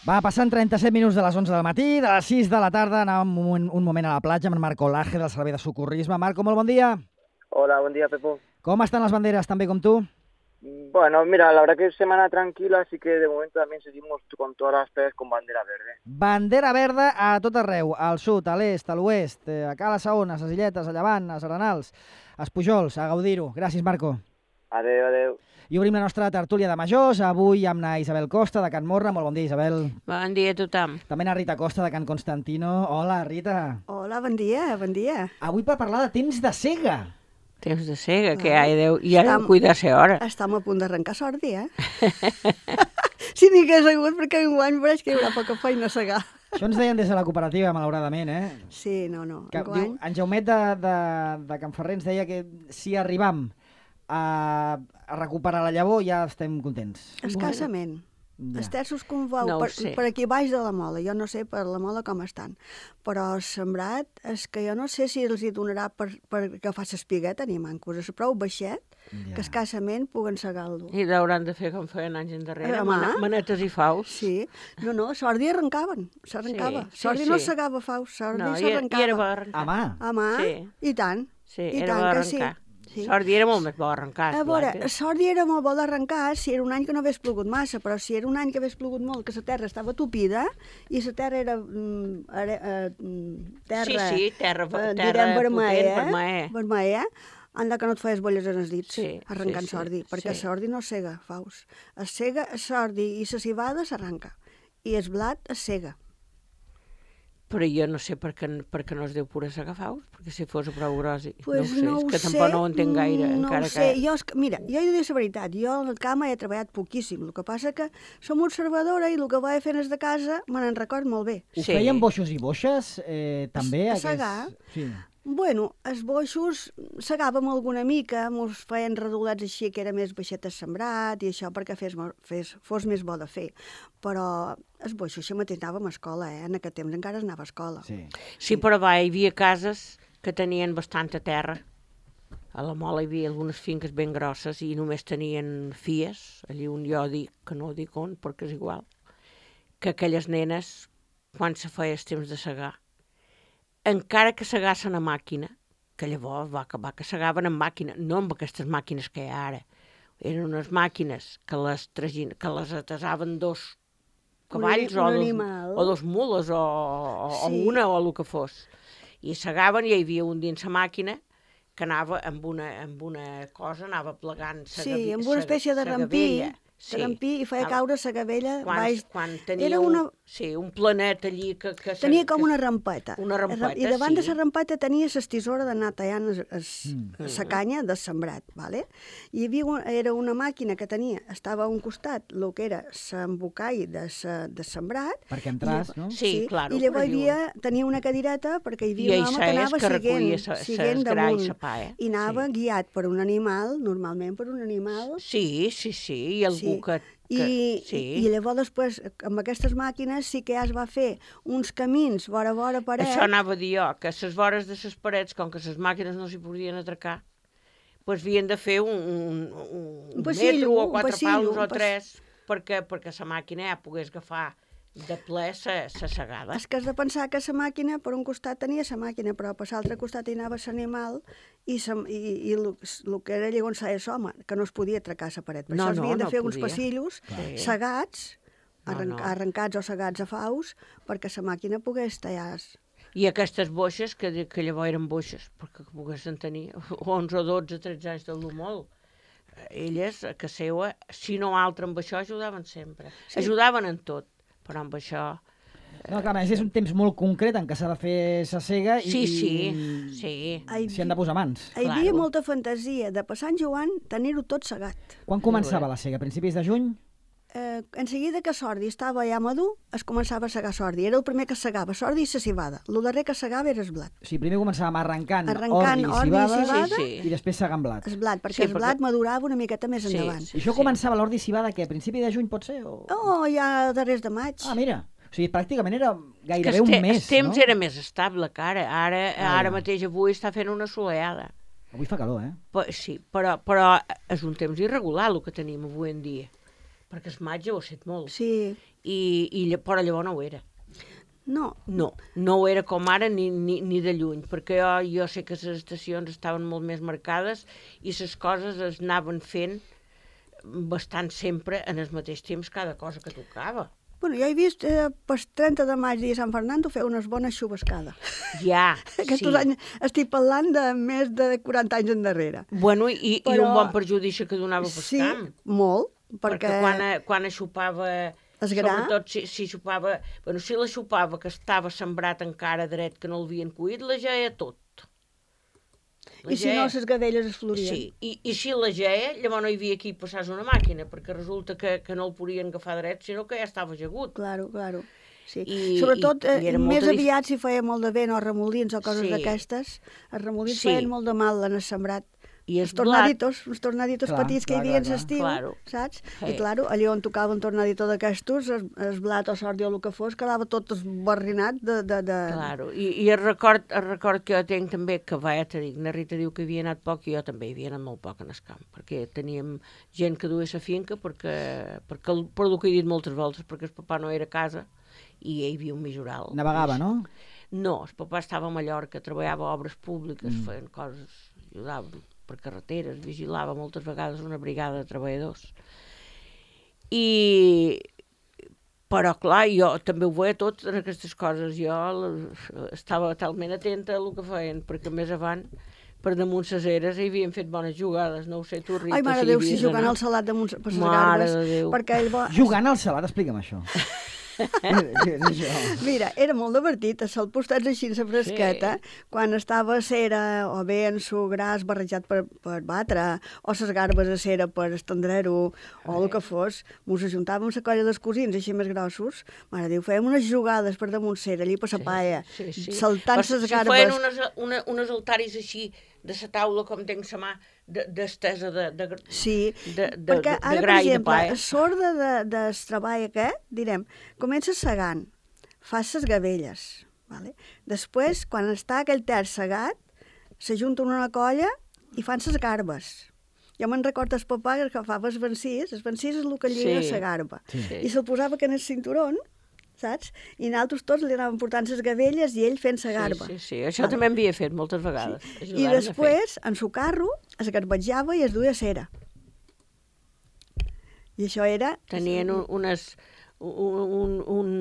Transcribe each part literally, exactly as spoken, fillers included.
Va, passant trenta-set minuts de les onze del matí, de les sis de la tarda, anàvem un, un moment a la platja amb en Marco Laje del Servei de Socorrisme. Marco, molt bon dia. Hola, buen día, Pepo. Com estan les banderes, tan bé com tu? Bueno, mira, la verdad que es semana tranquila, así que de momento también seguimos con todas las playas con bandera verde. Bandera verda a tot arreu, al sud, a l'est, a l'oest, a Cala Saona, a les Illetes, a Llevant, a Serenals, a Espujols, a gaudir-ho. Gràcies, Marco. Adeu, adeu. I obrim la nostra tertúlia de majors, avui amb na Isabel Costa, de Can Morra. Molt bon dia, Isabel. Bon dia a tothom. També na Rita Costa, de Can Constantino. Hola, Rita. Hola, bon dia, bon dia. Avui per parlar de temps de cega. Temps de cega, que Ah, ja deu, ja estam- deu cuidar-se hora. Estem a punt d'arrencar sordi, eh? Si n'hi hagués hagut, perquè enguany veuràs que hi haurà poca feina a segar. Això ens deien des de la cooperativa, malauradament, eh? Sí, no, no, Que, diu, enguany... en Jaumet de, de, de Can Ferrer ens deia que si arribam a, a recuperar la llavor ja estem contents. Escassament. Ja. Els terços com veu, No ho per, sé. per aquí baix de la mola, jo no sé per la mola com estan, però sembrat és que jo no sé si els hi donarà per, per agafar l'espigueta ni mancos, és prou baixet Ja. que escassament puguen segar-lo. I l'hauran de fer com feien anys endarrere, Home. mane- manetes i faus. Sí, no, no, sordi arrencaven, s'arrencava. Sí, sí, sordi no sí. segava faus, sordi No, i, i era s'arrencava. bo arrencar. A mà. A mà, Sí. i tant. Sí, I era bo tant que sí. arrencar. Sí. Sordi era molt més bo arrencar. A veure, esclar, que- sort era molt bo d'arrencar si era un any que no hagués plogut massa, però si era un any que hagués plogut molt, que la terra estava tupida i la terra era mm, are, eh, mm, terra, Sí, sí, terra, eh, terra direm vermella, potent, vermella. vermella, anda que no et feies bolles en els dits Sí, arrencant sí, sí, sordi, perquè sí. sordi no sega, faus. Es sega, es sordi i la cibada s'arranca, i el blat es sega. Però jo no sé per què, per què no es deu pura segar faus, perquè si fos prou gros, Pues no ho sé, és que tampoc no ho entenc gaire, mm, no encara ho sé. que... Jo, és que, mira, jo he de dir la veritat, jo en el camp he treballat poquíssim, el que passa que som observadora i el que vaig fent és de casa me n'en record molt bé. Ho Sí. feien boixos i boixes, eh, també? A aquests- segar? Sí. Bueno, els boixos segàvem alguna mica, mos feien redolats així que era més baixet el sembrat i això perquè fes, mo- fes, fos més bo de fer. Però els boixos això mateix anàvem a escola, eh? En aquest temps encara es anava a escola. Sí. Sí, però va, hi havia cases que tenien bastanta terra. A la Mola hi havia algunes finques ben grosses i només tenien fies, allí on jo dic, que no dic on, perquè és igual, que aquelles nenes, quan se feia el temps de segar, encara que segassen a màquina, que llavors va acabar que segaven amb màquina, no amb aquestes màquines que hi ha ara. Eren unes màquines que les, tragin, que les atasaven dos cavalls un o, dos, animal. o dos mules o, o, Sí. o una o el que fos. I segaven i hi havia un dins la màquina que anava amb una, amb una cosa, anava plegant sa Sí, gavi- amb una sa- espècie de sa rampí, gavella. de rampí i feia Anava- caure la gavella quan, baix. quan tenia Era un, una- sí, un planet allí que... que se- Tenia com que- una rampeta. Una rampeta, I davant sí. de la rampeta tenia la tisora d'anar tallant la Mm. canya de sembrat, ¿vale? I hi havia un, era una màquina que tenia, estava a un costat, el que era l'embocall de, sa, de sembrat. Perquè entràs, I, no? Sí, claro, I llavors però hi havia, tenia una cadireta perquè hi I havia un home això que és anava que recollia siguent, sa- sa siguent esgra i damunt. sa pa, eh? I anava Sí. guiat per un animal, normalment per un animal. Sí, sí, sí, i algú Sí. que... I, que sí. I llavors després, amb aquestes màquines, sí que ja es va fer uns camins vora a vora paret. Això anava a dir jo, que a les vores de les parets, com que les màquines no s'hi podien atracar, doncs havien de fer un, un, un, Un passillo, metro o un quatre passillo, pals un o pas- tres, perquè, perquè la màquina ja pogués agafar de ple la segada. És que has de pensar que la màquina, per un costat tenia la màquina, però per l'altre costat hi anava l'animal i, sa, i, i el, el que era llavors la home, que no es podia atracar la paret. Per No, això es no, havien de no fer uns podia. passillos Sí. segats, No, arrenc, no. arrencats o segats a faus, perquè la màquina pogués tallar. I aquestes boixes, que, que llavors eren boixes, perquè poguessin tenir onze o dotze, tretze anys del molt. Elles, a casa seva, si no altre amb això, ajudaven sempre. Sí. Ajudaven en tot, però amb això... No, clar, a més és un temps molt concret en què s'ha de fer sa cega i, Sí, sí, i sí. Hi s'hi han de posar mans. hi havia Claro. molta fantasia de per Sant Joan tenir-ho tot segat. Quan començava la cega? A principis de juny? Eh, en seguida que sordi estava ja madur, es començava a segar sordi. Era el primer que segava, sordi i la cibada. El darrer que segava era el blat. O sigui, primer començàvem arrencant, Arrencant ordi i ordi i cibada, cibada. Sí, sí. i després segant blat. El blat, perquè Sí, el blat perquè- madurava una miqueta més Sí, endavant. sí. I això començava l'ordi i cibada, que a principi de juny pot ser? O... Oh, ja darrers de maig. Ah, mira. O sigui, pràcticament era Que gairebé el, un te mes, el temps no? era més estable que ara. Ara, Ah, ara ja. mateix avui està fent una soleada. Avui fa calor, eh? Però, sí, però, però és un temps irregular el que tenim avui en dia. perquè el maig ho ha set molt. Sí. I, i, lla- però llavors no ho era. No, No, no ho era com ara ni, ni, ni de lluny, perquè jo, jo sé que les estacions estaven molt més marcades i les coses es anaven fent bastant sempre en el mateix temps cada cosa que tocava. bueno, jo he vist eh, per trenta de maig dia Sant Fernando fer unes bones xubascades. Ja, Aquests sí. anys estic parlant de més de quaranta anys endarrere. Bueno, i, Però- i un bon perjudici que donava pel Sí, camp. molt, Perquè, perquè... quan, quan xupava, Es gra? sobretot si, si xupava, bueno, si la xupava que estava sembrat encara dret, que no l'havien cuit, la geia tot. La I si no, les gadelles es florien. Sí, i, i si la geia, llavors no hi havia qui passés una màquina, perquè resulta que, que no el podien agafar dret, sinó que ja estava ajagut. Claro, claro. Sí. I- Sobretot, i- eh, i era més molta dif- aviat si feia molt de vent o remolins o coses Sí. d'aquestes, els remolins Sí. feien molt de mal en el sembrat. I Els el blat, tornaditos, els tornaditos Clar, petits que clar, hi havia clar, en l'estiu, Claro. saps? Sí. I, claro, allà on tocava un tornadito d'aquestos, el, el blat o sordi o el que fos, quedava tot esbarrinat de... de, de... claro. I, i el, record, el record que jo tinc també, que vaja, te dic, na Rita diu que havia anat poc i jo també hi havia anat molt poc en el camp, perquè teníem gent que duia la finca, perquè, perquè el, per el que he dit moltes voltes, perquè el papà no era a casa i hi havia un majoral. Navegava, no? No, el papà estava a Mallorca, treballava a obres públiques, mm. feien coses, ajudava per carreteres, vigilava moltes vegades una brigada de treballadors. I... Però, clar, jo també ho veia tot en aquestes coses. Jo la- estava talment atenta a el que feien, perquè més avant, per damunt ses eres, hi havien fet bones jugades. No ho sé, tu, Rita, Ai, mare si de Déu, hi si havies jugant anat. al salat damunt per les Mare garbes, de Déu. perquè ell va... Jugant al salat, explica'm això. Què és això? Mira, era molt divertit, a sol postats així en la fresqueta, sí. Quan estava a cera o bé en su gras barrejat per, per batre, o ses garbes a cera per estendrer-ho, o el que fos, mos ajuntàvem la colla dels cosins així més grossos, mare Déu, fèiem unes jugades per damunt cera, allí per la paia, Sí, sí. saltant Però les si garbes. feien unes, una, unes altaris així, de la taula, com tenc la mà, d'estesa de, de, de, Sí, de, de, perquè de, ara, de per gra i de exemple, pa. a sorda de, del treball aquest, direm, comences segant, fas les gavelles, vale? Després, quan està aquell terç segat, s'ajunten una colla i fan les garbes. Jo me'n recordo el papà que agafava el vencís, el vencís és el que lliga Sí. la garba, Sí. i se'l posava que en el cinturón, saps? I nosaltres tots li anàvem portant les gavelles i ell fent la garba. Sí, sí, sí. Això també m'havia fet moltes vegades. Sí. I després, en su carro, es garbetjava i es duia cera. I això era... Tenien un, unes, un, un, un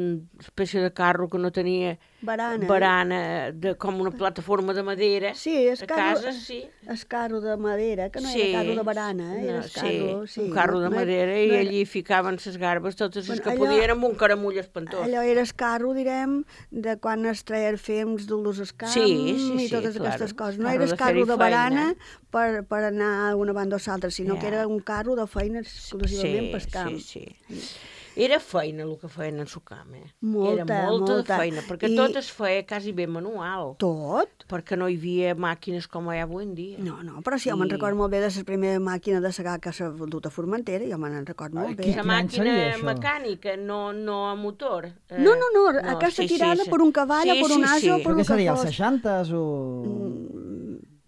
espècie de carro que no tenia Barana. barana de, com una plataforma de madera. Sí, es a carro, casa, sí. es carro de madera, que no Sí, era carro de barana, eh? Era no, es carro, sí, sí, un carro de no- no madera era- i no era- allí ficaven les garbes, totes les Bueno, que allò- podien, amb un caramull espantós. Allò era el carro, direm, de quan es treia el fems d'ulos al camp Sí, sí, i sí, totes claro. aquestes coses. No Carro era el de carro fer-hi de barana feina. per, per anar a una banda o l'altra, sinó Ja. que era un carro de feina exclusivament pel camp. Sí, sí. Era feina el que feien en su camp, eh? Molta, Era molta, molta. de feina, perquè I- tot es feia quasi bé manual, Tot? perquè no hi havia màquines com hi ha avui en dia. No, no, però sí, jo me'n I- recordo molt bé de la primera màquina de segar que s'ha vendut a Formentera, jo me'n recordo molt Ai, bé. qui- La quin any màquina seria, això? mecànica, no, no a motor. Eh, No, no, no, aquesta tirada per un cavall o per un ase o per Però el què seria, que els fos. seixantes o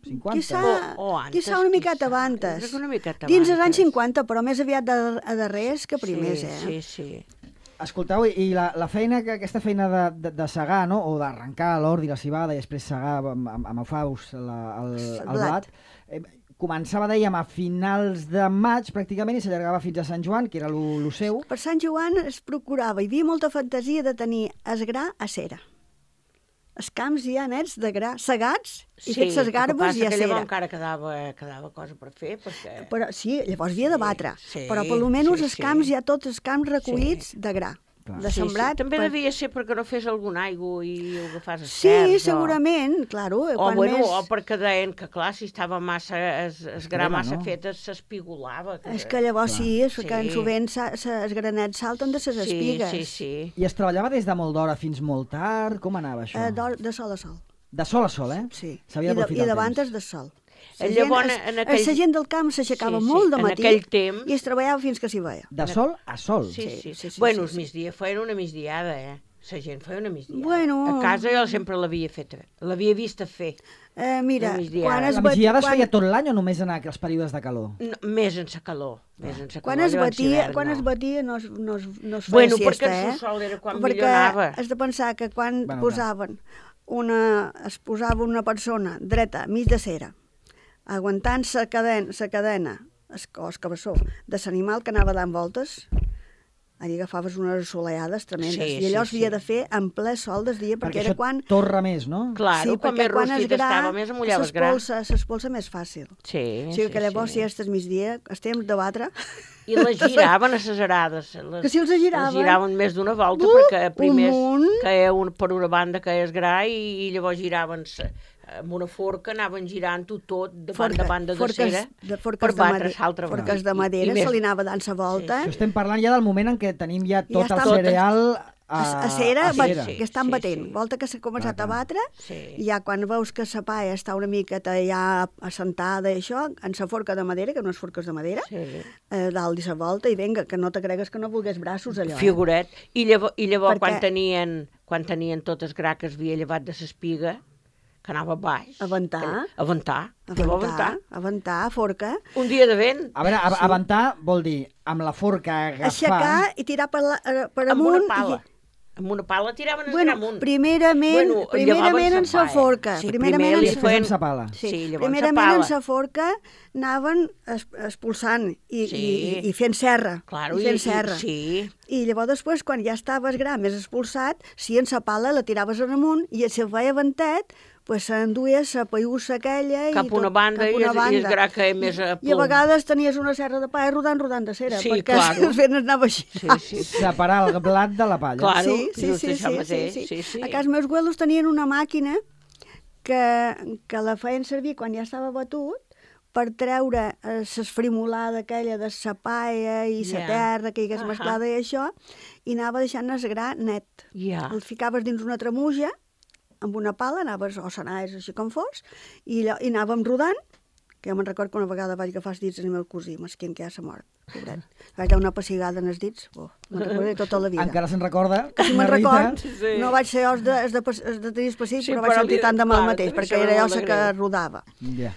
cinquanta? Quizà, O- o antes, quizà una miqueta quizà. abans. Jo crec que una miqueta Dins dels abans. anys cinquanta, però més aviat de, a darrers que primers, sí, eh? Sí, sí. Escolteu, i la, la feina, que aquesta feina de, de, de segar, no? O d'arrencar l'ordi, la cibada, i després segar amb, amb, amb afaus la, el, el blat. blat, eh, començava, dèiem, a finals de maig, pràcticament, i s'allargava fins a Sant Joan, que era lo, lo seu. Per Sant Joan es procurava, hi havia molta fantasia de tenir es gra a cera. Els camps ja nets de gra, segats i fets les garbes i a que cera. llavors encara quedava, quedava cosa per fer, perquè... Però, sí, llavors havia de Sí, batre, sí, però per almenys sí, els sí. camps, ja tots els camps recollits de gra, Clar. de Sí, sembrat. sí. També per- devia ser perquè no fes algun aigua i ho agafàs els Sí, terç, segurament, claro. O, o, quan bueno, més... o perquè deien que, clar, si estava massa, es, es gra Crema, massa no? fet, es- s'espigolava. És que llavors Clar. sí, és que Sí. sovint sa- sa- els granets salten de les sí, espigues. sí, sí. I es treballava des de molt d'hora fins molt tard? Com anava això? Eh, d'hor- de sol a sol, De sol a sol, eh? sí. S'havia I, de, d'aprofitar I el davant temps. és de sol. Eh, La llavors, gent, en es- aquell- La gent del camp s'aixecava Sí, sí. molt de En matí aquell temps- i es treballava fins que s'hi veia. De sol a sol. Sí, Sí, sí. sí, sí, bueno, sí, els sí. migdia feien una migdiada, eh? La gent feia una migdiada. Bueno. A casa jo sempre l'havia fet, l'havia vist fer. Eh, mira, La migdiada. quan es, La bat... migdiada es quan... feia tot l'any o només en els períodes de calor? No, més en sa calor. Més en sa Quan calor, es llavors batia, hivern, quan no. es batia no es, no es, no es feia Bueno, siesta, perquè el eh? sol era quan perquè millor anava. has de pensar que quan Bueno, posaven una, es posava una persona dreta, mig de cera, aguantant sa cadena, sa cadena es, o el cabeçó de l'animal que anava dant voltes, allà agafaves unes assolellades tremendes. Sí, I allò sí, s'havia sí. de fer en ple sol del dia, perquè, Perquè era això quan... torra més, no? Claro, sí, com perquè més quan es rostit gra, estava, més amullaves gra. s'espolsa s'espolsa més fàcil. Sí, O sigui que llavors, sí. si estes migdia, estem de batre... I les giraven a les arades. Les, Que si els giraven. Les giraven més d'una volta, Uh, perquè primer un munt. caia un, per una banda caia gra i, i llavors giraven amb una forca, anaven girant-ho tot de banda a banda de forques, cera de forques per de batre madera, l'altra banda. forques de I- i madera, més- se li anava dant sa volta. Això estem parlant ja del moment en què tenim ja Ja tot el està- cereal a, A, a cera, a va- cera. sí, que estan sí, batent. sí. Volta que s'ha començat Clar, a batre, Sí. i ja quan veus que sa paia està una miqueta ja assentada i això, en sa forca de madera, que no és forques de madera, Sí. eh, dalt i sa volta, i vinga, que no te cregues que no volgués braços allò. Figuret. I llavors, i llavors Perquè- quan, tenien, quan tenien totes gra que es havia llevat de l'espiga, que anava baix. Aventar. Aventar. Eh? Llavors Aventar, aventar, forca, Un dia de vent. A veure, a, aventar vol dir amb la forca agafar... aixecar i tirar per, la, eh, per Amb amunt. una pala. I, Amb una pala tiraven el bueno, gra amunt. primerament, Bueno, primerament llevaven en sa sa paia. forca. Sí, primerament primer en li sa Després feien- amb sa pala. Sí, Sí, llavors primerament sa en pala. sa forca anaven es, expulsant i, Sí. i, i fent serra. Claro, i i, fent i, serra. sí. I llavors després, quan ja estaves gra, més expulsat, si en sa pala la tiraves en amunt i si el feia ventet, pues s'enduia sa paiussa aquella Cap i a una tot, banda cap a i, una es, i banda. es gra que més a I a plom. vegades tenies una serra de paia rodant, rodant de cera, Sí, perquè claro. el vent anava així. Sí, sí, sí. Separar el blat de la palla. Clar. Claro, sí, sí, just sí, això sí, mateix, sí, sí. sí, sí. A casa meus abuelos tenien una màquina que, que la feien servir quan ja estava batut per treure eh, s'esfrimolada aquella de sa paia i sa Ja. terra que hi hagués Ahà. mesclada i això, i anava deixant el gra net. Ja. El ficaves dins una tremuja, amb una pala, anaves, o s'anaves així com fos, i, allò, i anàvem rodant, que jo me'n recordo que una vegada vaig agafar els dits al meu cosí, mesquin, que ja s'ha mort, pobret. Vaig dar una pessigada en els dits, oh, me'n recordo tota la vida. Encara se'n recorda. Que si me'n la Rita. record, Sí. no vaig ser jo els de, els de, els de tenir específic, Sí, però vaig però sentir li- tant de mal clar, mateix, també perquè sembla era jo molt la de que greu. rodava. Ja.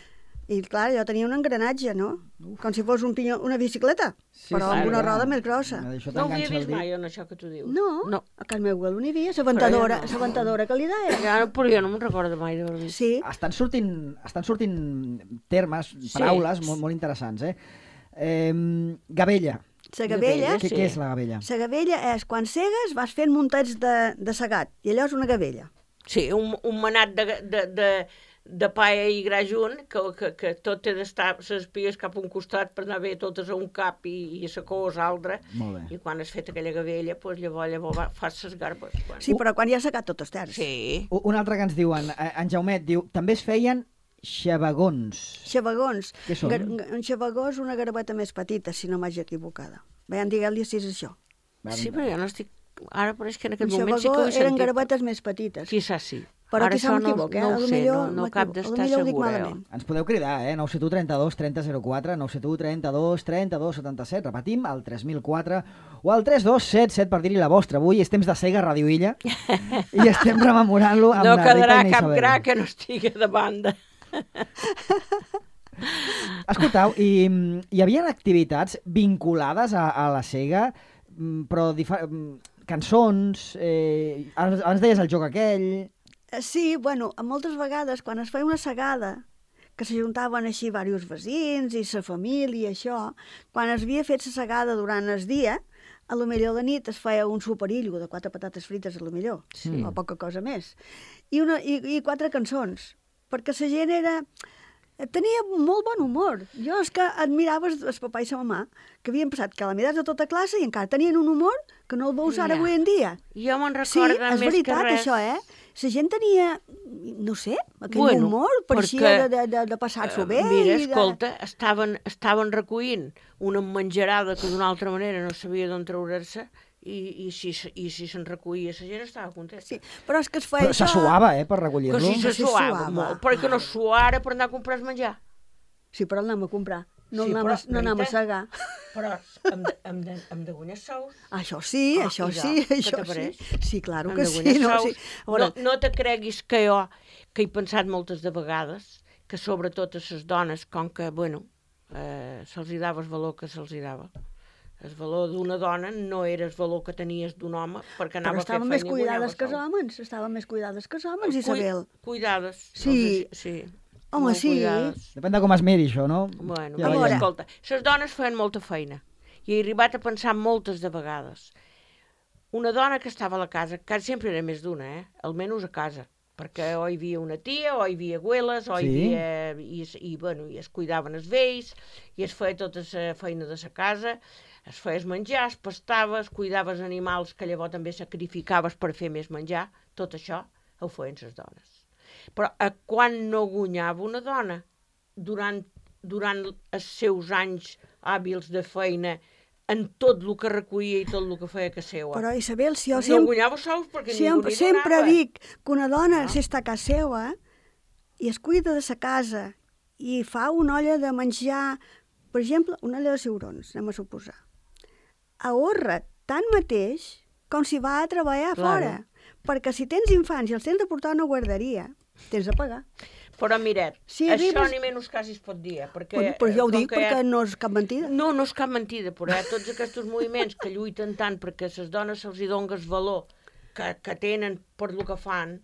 I clar, jo tenia un engranatge, no? Com si fos un pinyó, una bicicleta, Sí, però sí, amb una clar. roda més grossa. Això No ho havia t'enganxa el vist dit. mai, en això que tu dius. No, No. a casa meu abuelo n'hi havia, la ventadora, Però jo la no. ventadora que li deia. Ja, però jo no me'n recordo mai d'haver vist. Sí, Estan sortint, estan sortint termes, paraules molt, molt interessants, eh? eh gavella. la gavella, Què, Sí. què és la gavella? la gavella és quan cegues vas fent muntets de, de segat, i allò és una gavella. Sí, un, un manat de, de, de, de paia i gra junt, que, que, que tot té d'estar les pies cap a un costat per anar bé totes a un cap i, i la cos a l'altre. Molt bé. I quan has fet aquella gavella, doncs llavors, llavors va- fas les garbes. Quan... Sí, però quan ja ha segat tot els terç. Sí. U- Un altre que ens diuen, eh, en Jaumet diu, també es feien xavagons. Xavagons. Què són? Gar- Un xavagó és una garbeta més petita, si no m'haig equivocada. Veiem, digueu-li si és això. Sí, però jo no estic... Ara pareix que en Un aquest moment sí que xavagó ho he eren sentit. garbetes més petites. Quizás sí. Però Ara quizá això no, m'equivoc, eh? no A ho lo sé, millor no, no cap m'equivoco. A lo d'estar millor ho dic segura. malament. Ens podeu cridar, eh? nou set u trenta-dos trenta zero quatre, nou set u trenta-dos trenta-dos setanta-set, repetim, al tres mil quatre o al tres dos set set per dir-hi la vostra. Avui és temps de Sega Ràdio Illa i estem rememorant-lo amb No la Rita quedarà i cap Isabel. gra que no estigui de banda. Escoltau, i mm, hi havia activitats vinculades a, a la Sega, mm, però difa- mm, cançons, eh, abans abans deies el joc aquell... Eh, Sí, bueno, moltes vegades quan es feia una segada, que s'ajuntaven així diversos veïns i sa família i això, quan es havia fet la segada durant el dia, a lo millor de nit es feia un superillo de quatre patates frites, a lo millor, Sí. o poca cosa més, i, una, i, i quatre cançons, perquè la gent era... Tenia molt bon humor. Jo és que admirava el papà i la mamà, que havien passat calamidats de tota classe i encara tenien un humor que no el veus ara Ja. avui en dia. Jo me'n Sí, recordo és més veritat, que res... això, eh? La gent tenia, no sé, aquell Bueno, humor, pareixia perquè, de, de, de passar-s'ho bé. Eh, Mira, i de... escolta, estaven, estaven recollint una menjarada que d'una altra manera no sabia d'on treure-se i, i si, se- i si se'n recollia la gent estava contenta. Sí, però és que es feia Però se això... suava, eh, per Que recollir-lo. si se Sí, suava suava. molt, perquè no suara per anar a comprar el menjar. Sí, però el anem a comprar. no Sí, anem, però, a, no anem a Rita, segar. Però hem de, hem de, hem de guanyar sous. Això sí, Ah, això i sí, ja, què això sí. t'apareix? Sí, claro Hem que de sí. guanyar No, sous. sí. A veure, No, no te creguis que jo, que he pensat moltes de vegades, que sobretot a les dones, com que, bueno, eh, se'ls hi dava el valor que se'ls hi dava. El valor d'una dona no era el valor que tenies d'un home, perquè però anava a fer estaven feina més i guanyava cuidades que els sou. homes, estaven més cuidades que els homes, Cui- Isabel. Cuidades. Sí. Els- sí. Home, molt sí. Cuidades. Depèn de com es miri, això, no? Bueno, Ja ja veiem. escolta, les dones feien molta feina. I he arribat a pensar moltes de vegades. Una dona que estava a la casa, quasi sempre era més d'una, eh? Almenys a casa, perquè o hi havia una tia, o hi havia abueles, o hi Sí. havia... I, i, bueno, i es cuidaven els vells, i es feia tota la feina de la casa, es feies menjar, es pastaves, cuidaves animals que llavors també sacrificaves per fer més menjar, tot això ho feien les dones. Però a quan no guanyava una dona, durant, durant els seus anys hàbils de feina, en tot el que recollia i tot el que feia que seua. Però, Isabel, si jo no sempre, guanyava sous perquè sempre, ningú li sempre donava. dic que una dona, No. si està a casa seva i es cuida de sa casa i fa una olla de menjar, per exemple, una olla de ciurons, anem a suposar, ahorra tant mateix com si va a treballar Claro. fora. Perquè si tens infants i els tens de portar a una guarderia, tens de pagar. Però miret, Si això arribes- ni menys quasi es pot dir, eh, perquè... Bueno, però jo ho com dic que perquè no és cap mentida. No, no és cap mentida, però eh, tots aquests moviments que lluiten tant perquè a les dones se'ls hi doni el valor que, que tenen per lo que fan,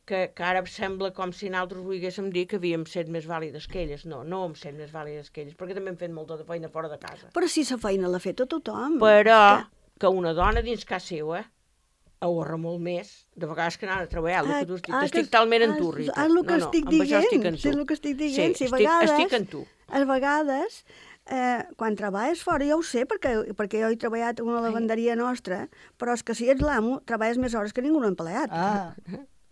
que, que ara sembla com si nosaltres volguéssim dir que havíem set més vàlides que elles. No, no hem set més vàlides que elles, perquè també hem fet molta de feina fora de casa. Però si la feina l'ha fet a tothom. Però És que una dona dins casa seva ahorra molt més, de vegades que anar a treballar, el que tu estic, Ah, t'estic que- talment en ah, tu, Rita. És el que no, no, estic amb això estic dient, en sí, tu. és el que estic dient. Sí, Si a estic, vegades, estic en tu. a vegades, eh, quan treballes fora, jo ho sé, perquè, perquè jo he treballat en una lavanderia nostra, però és que si ets l'amo, treballes més hores que ningú empleat. Ah,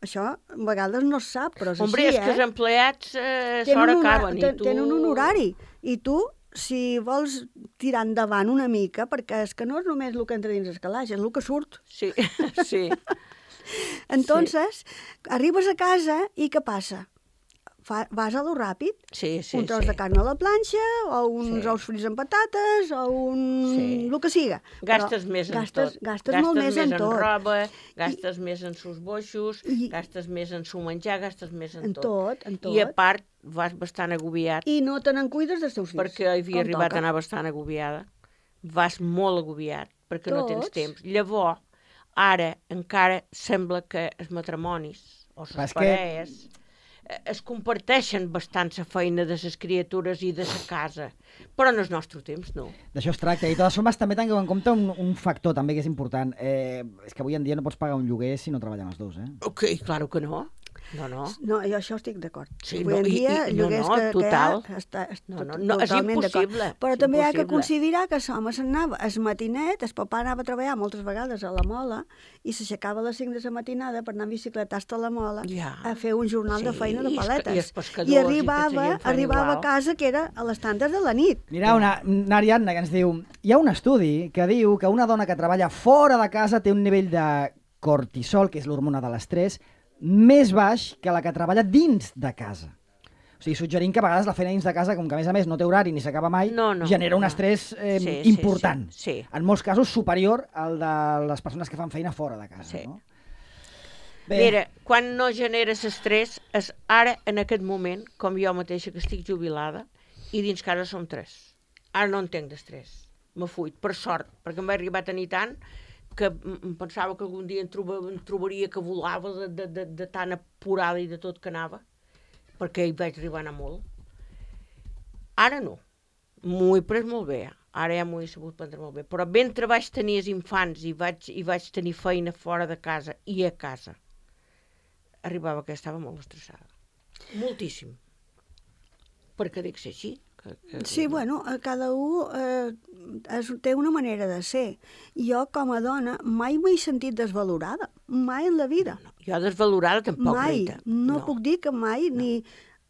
Això a vegades no es sap, però és Hombre, així, és que els eh? empleats eh, Tenen s'hora un hora- acaben. I ten- tu... Tenen un horari. I tu, si vols tirar endavant una mica, perquè és que no és només el que entra dins el calaix, és el que surt. Sí, sí. Entonces, arribes a casa i què passa? Fa, vas a lo ràpid, Sí, sí, un tros sí. de carn a la planxa, o uns Sí. ous frits amb patates, o un... Sí. el que siga. Gastes Però més en gastes, tot. Gastes, molt més en tot. roba, gastes més en sus boixos, I- gastes més en su menjar, gastes més en, En tot, en tot. I a part, vas bastant agobiat, I no te n'en cuides dels teus fills. perquè havia com arribat toca. a anar bastant agobiada. Vas molt agobiat, perquè no tens Tots. temps. Llavors, ara encara sembla que els matrimonis o Però les és que- parelles eh, es comparteixen bastant la feina de les criatures i de la casa. Però en el nostre temps, no. d'això es tracta. I de totes formes també tingueu en compte un, un factor també que és important. Eh, és que avui en dia no pots pagar un lloguer si no treballen els dos, eh? Ok, claro que no. No, no. No, jo això estic d'acord. Sí, Avui no, en i- dia, i- no, lloguers no, que, total. que hi ha, està, està No, no, no, és totalment d'acord. impossible, Però és també hi ha que impossible. considerar que l'home se'n anava es matinet, el papà anava a treballar moltes vegades a la mola i s'aixecava a les cinc de la matinada per anar en bicicleta hasta la mola Ja. a fer un jornal de Sí, feina de i els- paletes. i els pescadors I i tota arribava, la gent fan arribava igual. a casa que era a les tantes de la nit. Mira, una, una Ariadna que ens diu... Hi ha un estudi que diu que una dona que treballa fora de casa té un nivell de cortisol, que és l'hormona de l'estrès, més baix que la que treballa dins de casa. O sigui, suggerint que a vegades la feina dins de casa, com que a més a més no té horari ni s'acaba mai, No, no, genera un no. estrès eh, Sí, sí, important. sí, sí. En molts casos superior al de les persones que fan feina fora de casa. Sí. No? Mira, quan no generes estrès, és ara, en aquest moment, com jo mateixa que estic jubilada, i dins casa som tres. Ara no entenc d'estrès. Me fuit, per sort, perquè em va arribar a tenir tant que m- em pensava que algun dia em, troba, em trobaria que volava de, de, de, de tan apurada i de tot que anava, perquè hi vaig arribar a anar molt. Ara no. M'ho he pres molt bé. Ara ja m'ho he sabut prendre molt bé. Però mentre vaig tenir els infants i vaig, i vaig tenir feina fora de casa i a casa, arribava que estava molt estressada. Moltíssim. Perquè dic ser així. Que, que... Sí, bueno, a cada un eh, es, té una manera de ser. Jo, com a dona, mai m'he sentit desvalorada. Mai en la vida. No, jo desvalorada tampoc, mai. Rita. No, puc dir que mai ni,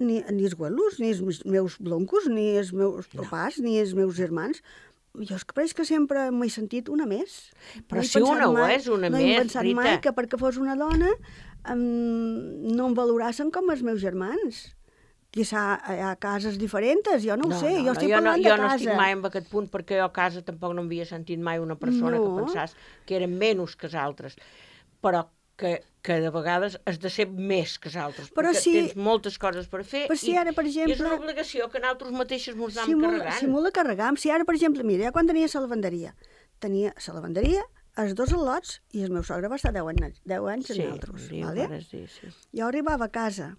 ni, ni els güelos, ni els meus bloncos, ni els meus papàs, ni els meus germans. Jo és que pareix que sempre m'he sentit una més. Però he si pensat una ho mai- és, una no he més, pensat Rita. mai que perquè fos una dona em, no em valorassen com els meus germans. Quizà hi ha cases diferents, jo no ho No, sé, no, jo no, estic jo no, parlant jo de no casa. estic mai en aquest punt, perquè jo a casa tampoc no havia sentit mai una persona No. que pensàs que eren menys que els altres, però que, que de vegades has de ser més que els altres, Però perquè si- tens moltes coses per fer Però si i, ara, per i és una exemple, obligació que nosaltres mateixos ens anem si molt, carregant. si molt la carregam, si ara, per exemple, mira, jo quan tenia la lavanderia, tenia la lavanderia, els dos al·lots, i el meu sogre va estar deu anys, deu anys Sí, amb nosaltres. sí, Vale? vares dir, sí. Jo arribava a casa,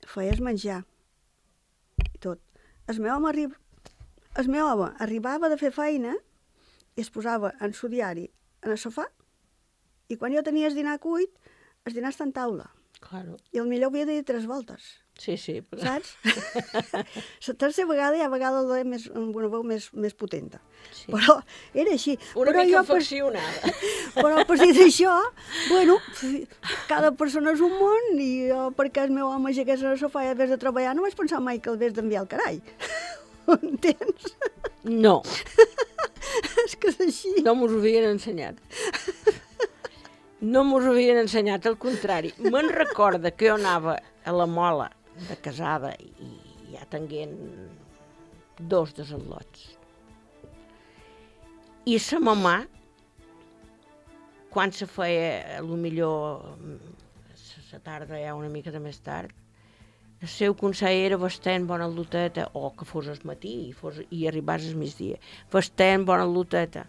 feies menjar, i tot. El meu home, arri... el meu home arribava de fer feina i es posava en su diari en el sofà, i quan jo tenia el dinar cuit, el dinar està en taula. Claro. I el millor havia de dir tres voltes. Sí, sí. Però... Saps? La tercera vegada hi ha vegada la més, amb una veu més, més potenta. Sí. Però era així. Una però mica jo, per, afeccionada. però per dir d'això, bueno, cada persona és un món i jo, perquè el meu home llegués al sofà i hagués de treballar, no vaig pensar mai que el hagués d'enviar al carall. Ho entens? No, És que és així. no mos ho havien ensenyat. No mos ho havien ensenyat, al contrari. Me'n recorda que jo anava a la Mola de casada i ja tenien dos desenlots. I sa mamà, quan se feia, a lo millor, la tarda ja una mica de més tard, el seu consell era vestent bona loteta, o que fos al matí i, fos, i arribàs al migdia. Vestent bona loteta.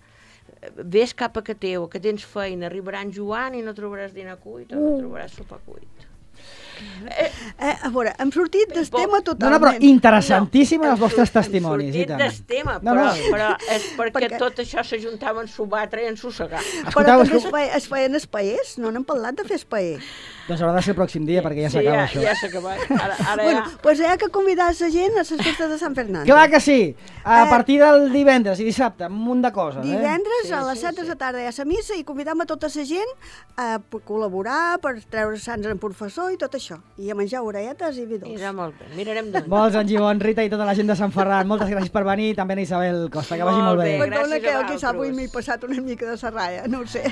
Ves cap a que teu, que tens feina, arribarà en Joan i no trobaràs dinar cuit o no trobaràs sopar cuit. Eh, a veure, hem sortit del Bo- tema No, no, totalment. però interessantíssims No, els vostres hem sor- testimonis. Hem I tant. sortit del tema, No, però, no. però és perquè, Perquè- tot això s'ajuntava en subatre i en sossegar. Però Escolteu, també es, escolteu, feia, es feien espaers, no n'hem parlat de fer espaer. doncs haurà de ser el pròxim dia, perquè ja Sí, s'acaba ja, això. ja s'ha acabat. Ara, ara Bueno, ja... doncs hi ha que convidar la gent a les festes de Sant Fernando. Clar que sí! A Eh, partir del divendres i dissabte, un munt de coses, eh? Divendres Sí, a les sí, set de sí. la tarda hi ha la missa i convidam a tota la gent a p- col·laborar, per treure sants en professor i tot això. I a menjar orelletes i vi dolç. Mira, molt bé, mirarem d'on. Molts en Gibon, Rita i tota la gent de Sant Ferran, moltes gràcies per venir, també a Isabel Costa, que vagi Molt molt bé, bé. gràcies Perdona a que jo quizà avui vosaltres. m'he passat una mica de serralla, no ho sé.